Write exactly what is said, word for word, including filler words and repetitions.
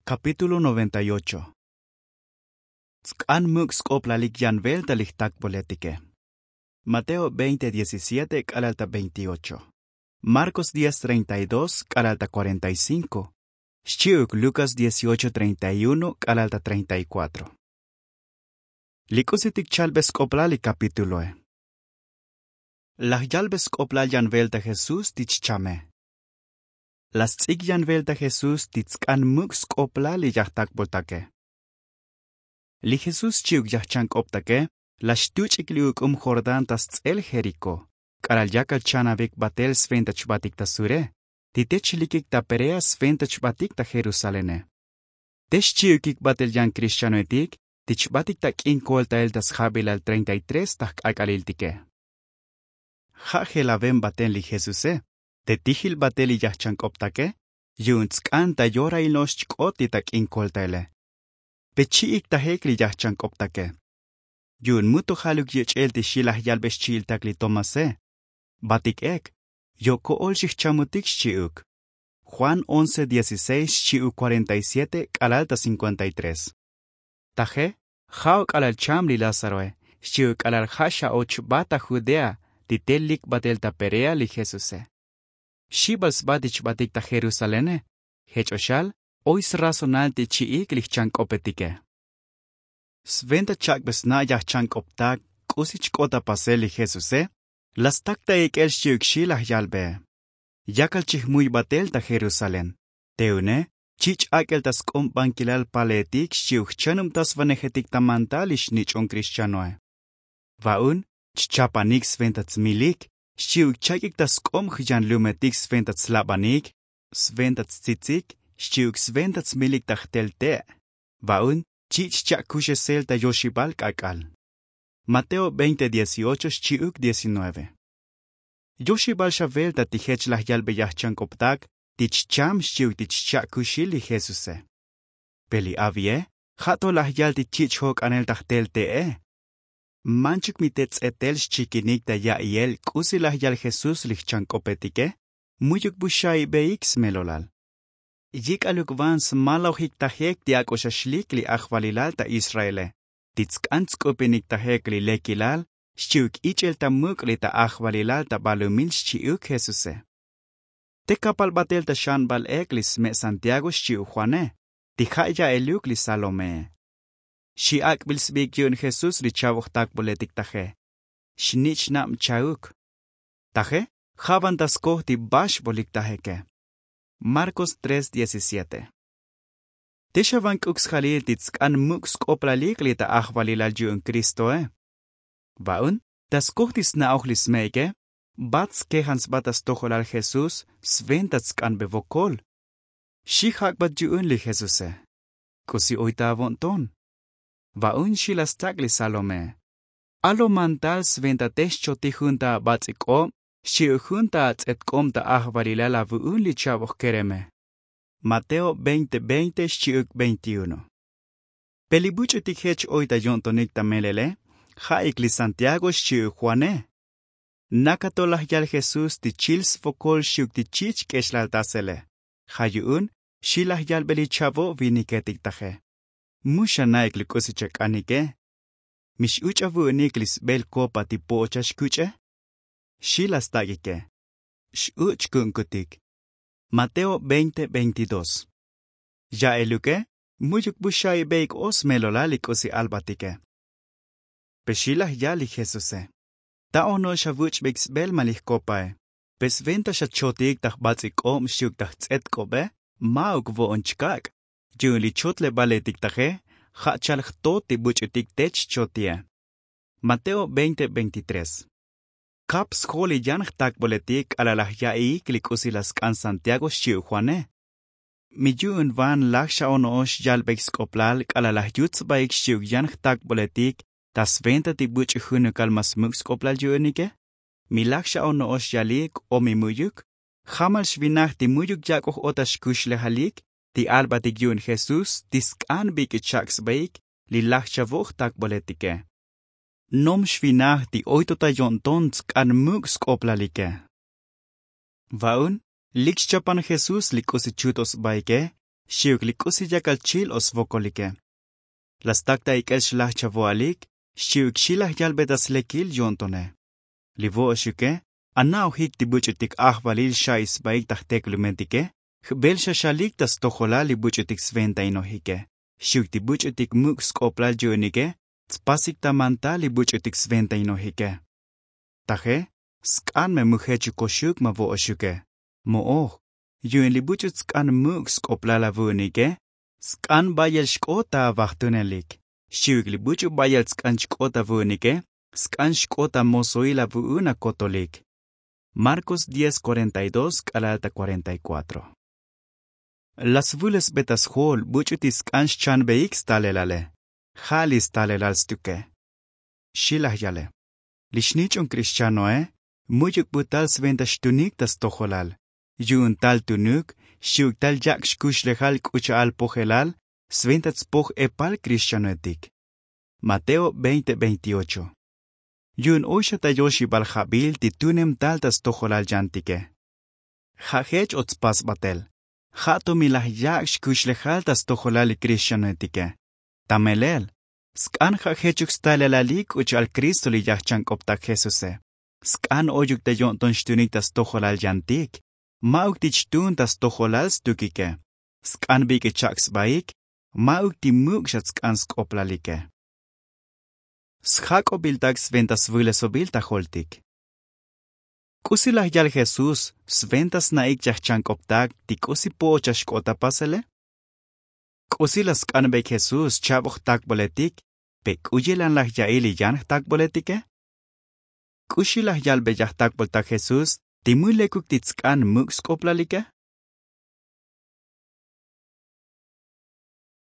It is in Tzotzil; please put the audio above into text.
Kapítulo noventa y ocho. Tsk'an muk' sk'oplalik yan velta li jtakboletike. Mateo veinte diecisiete k'alal ta veintiocho. Marcos diez treinta y dos k'alal ta cuarenta y cinco. Xchi'uk lukas dieciocho treinta y uno k'alal ta treinta y cuatro. Li k'usitik chalbe sk'oplal li kapítuloe. Laj yalbe sk'oplal yan velta jesús ti chchame. La sts'ik yan velta jesús ti tsk'an muk' sk'oplal li yajtakboltake. Li jesús xchi'uk yajchank'optake, la xtuch'ik li uk'um jordán ta sts'el jerikó, k'alal yakal chanavik batel sventa chbatik ta sure, ti te chlikik ta perea sventa chbatik ta jerusalene. Te xchi'ukik batel yan krixchanoetik ti chbatik ta k'in koltael ta sjabilal treinta y tres ta jk'ak'aliltike. Ja' jelaven baten li jesuse te tijil batel li yajchank'optake, yu'un tsk'an ta yorail no'ox chk'ot ti ta k'in koltaele. Pe chi'ik tajek li yajchank'optake. Yu'un mu to jaluk yich'el ti xi laj yalbe xchi'iltak li tomase. Batik ek yo' ko'ol xijchamutik xchi'uk. Juan once dieciseis xchi'uk cuarenta y siete k'alal ta cincuenta y tres. Taje, ja'o k'alal cham li lázaroe xchi'uk k'alal ja' xa'och bat ta judea ti te lik batel ta perea li jesuse. Xi bal sba ti chbatik ta jerusalene. Jech o xal oy srazonal ti chi'ik li jchank'opetike. Sventa chak'be sna' yajchank'optak k'usi chk'ot ta pasel li jesuse, la stak ta ik'el xchi'uk xi laj yalbee. Yakal chijmuy batel ta jerusalén. Te une chich' ak'el ta sk'ob bankilal paleetik xchi'uk jchanubtasvanejetik ta mantal li xnich'on krixchanoe. Va'un chchapanik sventa tsmilik xchi'uk chak'ik ta sk'ob jyanlumetik sventa tslabanik, sventa tstsitsik xchi'uk sventa tsmilik ta jtel te'. Va'un chich' cha'kuxesel ta yoxibal k'ak'al. Mateo veinte dieciocho xchi'uk diecinueve. Yoxibal xa velta ti jech laj yalbe yajchank'optak ti chcham xchi'uk ti chcha'kuxil li jesuse. Pe li avie ja' to laj yal ti chich' jok'anel ta jtel te'e. Manchuk mi te ts'etel xchikinik ta ya'iel k'usi laj yal jesús li jchank'opetike. Mu'yuk bu xaibeik smelolal. Yik'aluk van smalaojik tajek ti ak'o xa xlik li ajvalilal ta israele ti tsk'an tsk'upinik tajek li lekilal xchi'uk ich'el ta muk' li ta ajvalilal ta balumil xchi'uk jesuse. Te kapal batel ta xanbal ek li sme' santiago xchi'uk juane ti ja' ya'eluk li salomee. Xi ak'bil sbiik yu'un jesús li chavo jtakboletik taje. Xnich' nab chauk. Taje ja' van ta skoj ti baxbolik tajeke. Marcos tres diecisiete. Te xa van k'uk sjalil ti tsk'an muk' sk'oplalik li ta ajvalilal yu'un kristoe. Va'un ta skoj ti sna'oj li sme'ike, bat skejan sba ta stojolal jesús sventa tsk'anbe vokol. Xi jak'bat yu'un li jesuse. K'usi oy ta avo'nton? Va'un xi la stak' li salomee. Alo mantal sventa te xchotij jun ta abats'i k'ob xchi'uk jun ta ats'et k'ob ta ajvalilal avu'un li cha'boj kereme. Mateo veinte veinte xchi'uk veintiuno. Pe li buch'utik jech oy ta yo'ntonik ta melele ja'ik li santiago xchi'uk juane. Naka to laj yal jesús ti chil svokol xchi'uk ti chich' k'exlaltasele. Ja' yu'un xi laj yalbe li chavo viniketik taje. Mu xana'ik li k'usi chak'anike. Mi x'uch' avu'unik li sbel kopa ti po'ocha xkuch'e? Xi la stak'ike. X'uch' ku'unkutik. Mateo veinte veintidós. Ya'eluke mu'yuk bu xaibeik o smelolal li k'usi albatike. Pe xi laj yal li jesuse. Ta ono'ox avuch'beik sbel ma li jkopae. Pe sventa xa chotik ta jbats'i k'ob xchi'uk ta jts'et k'obe, ma'uk vo'on chkak'. Yu'un li chotlebaletik taje ja' chal jtot ti buch'utik te chchotie. Mateo veinte veintitrés. Kap sjol li yan jtakboletik k'alal laj ya'iik li k'usi la sk'an santiago xchi'uk juane. Mi yu'un van laj xa ono'ox yalbeik sk'oplal k'alal laj yut sbaik xchi'uk yan jtakboletik ta sventa ti buch'u junukal ma smuk' sk'oplal yu'unike? Mi laj xa ono'ox yalik o mi mu'yuk? Jamal xvinaj ti mu'yuk yak'oj o ta xkuxlejalik ti albatik yu'un jesús ti sk'an bik'i chak' sbaik li laj chavo jtakboletike. Nom xvinaj ti oy to ta yo'nton tsk'an muk' sk'oplalike. Va'un lik xchapan jesús li k'usi chut o sbaike. Xi'uk li k'usi yakal chil o svokolike. La stak ta ik'el xlaj chavo'alik. Xi'uk xi laj yalbe ta slekil yo'ntone. Li vo'oxuke ana'ojik ti buch'utik ajvalil xa'i sbaik ta jteklumentike. Jbel xa xalik ta stojolal li buch'utik sventainojike. Xi'uk ti buch'utik muk' sk'oplal yu'unike tspasik ta mantal li buch'utik sventainojike. Taje sk'an me mu jechuk koxuk ma vo'oxuke. Mo'oj. Yu'un li buch'u tsk'an muk' sk'oplal avu'unike sk'an bayel xk'ot ta avajtunelik. Xi'uk li buch'u bayel tsk'an chk'ot avu'unike sk'an xk'ot amosoil avu'un akotolik. Markos diez cuarenta y dos k'alal ta cuarenta y cuatro. La svulesbe ta sjol buch'u ti sk'an xchanbeik stalelale. Ja' li stalelal stuke. Xi laj yale. Li xnich'on krixchanoe mu'yuk bu tal sventa xtunik ta stojolal. Yu'un tal tunuk xi'uk tal yak' xkuxlejal k'u cha'al pojelal sventa tspoj epal krixchanoetik. Mateo veinte veintiocho. Yu'un oy xa ta yoxibal jabil ti tunem tal ta stojolal yantike. Ja' jech o tspasbatel ja' to mi laj yak' xkuxlejal ta stojolal li krixchanoetike. Ta melel sk'an ja' jechuk stalelalik k'u cha'al kristo li yajchank'optak jesuse. Sk'an oyuk ta yo'nton xtunik ta stojolal yantik. Ma'uk ti chtun ta stojolal stukike. Sk'an bik'i chak' sbaik. Ma'uk ti muk' xa tsk'an sk'oplalike. Sjak'obiltak sventa svulesobil ta joltik. K'usi laj yal jesús sventa sna'ik chajchank'optak ti k'usi po'och axk'ot ta pasele? K'usi laj sk'anbeik jesús cha'boj jtakboletik pe k'u yelan laj ya'il li yan jtakboletike? K'usi laj yalbey ajtakboltak jesús ti mu lekuk ti tsk'an muk' sk'oplalike?